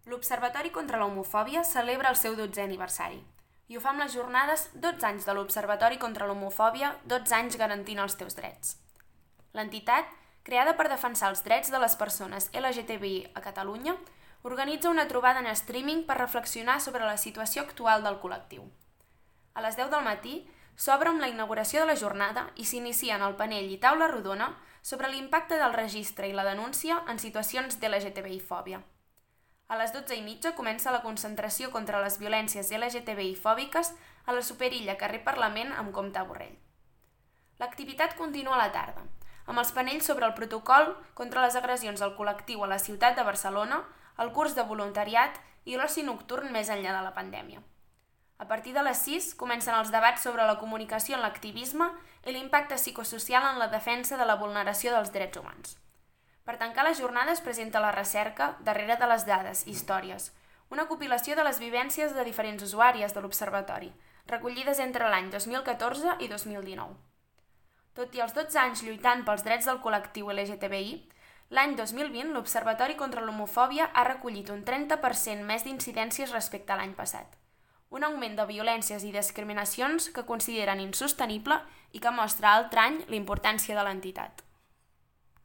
L'Observatori contra l'Homofòbia celebra el seu 12è aniversari i ho fa amb les jornades 12 anys de l'Observatori contra l'Homofòbia, 12 anys garantint els teus drets. L'entitat, creada per defensar els drets de les persones LGTBI a Catalunya, organitza una trobada en streaming per reflexionar sobre la situació actual del col·lectiu. A les 10 del matí s'obre amb la inauguració de la jornada i s'inicien el panell i taula rodona sobre l'impacte del registre i la denúncia en situacions d'LGTBI-fòbia. A les 12:30 comença la concentració contra les violències LGTBI-fòbiques a la Superilla, carrer Parlament, amb Comte Borrell. L'activitat continua a la tarda, amb els panells sobre el protocol contra les agressions al col·lectiu a la ciutat de Barcelona, el curs de voluntariat i l'oci nocturn més enllà de la pandèmia. A partir de les 6 comencen els debats sobre la comunicació en l'activisme i l'impacte psicosocial en la defensa de la vulneració dels drets humans. Per tancar la jornada es presenta la recerca Darrere de les dades, històries, una compilació de les vivències de diferents usuàries de l'Observatori, recollides entre l'any 2014 i 2019. Tot i els 12 anys lluitant pels drets del col·lectiu LGTBI, l'any 2020 l'Observatori contra l'Homofòbia ha recollit un 30% més d'incidències respecte a l'any passat, un augment de violències i discriminacions que consideren insostenible i que mostra altre any la importància de l'entitat.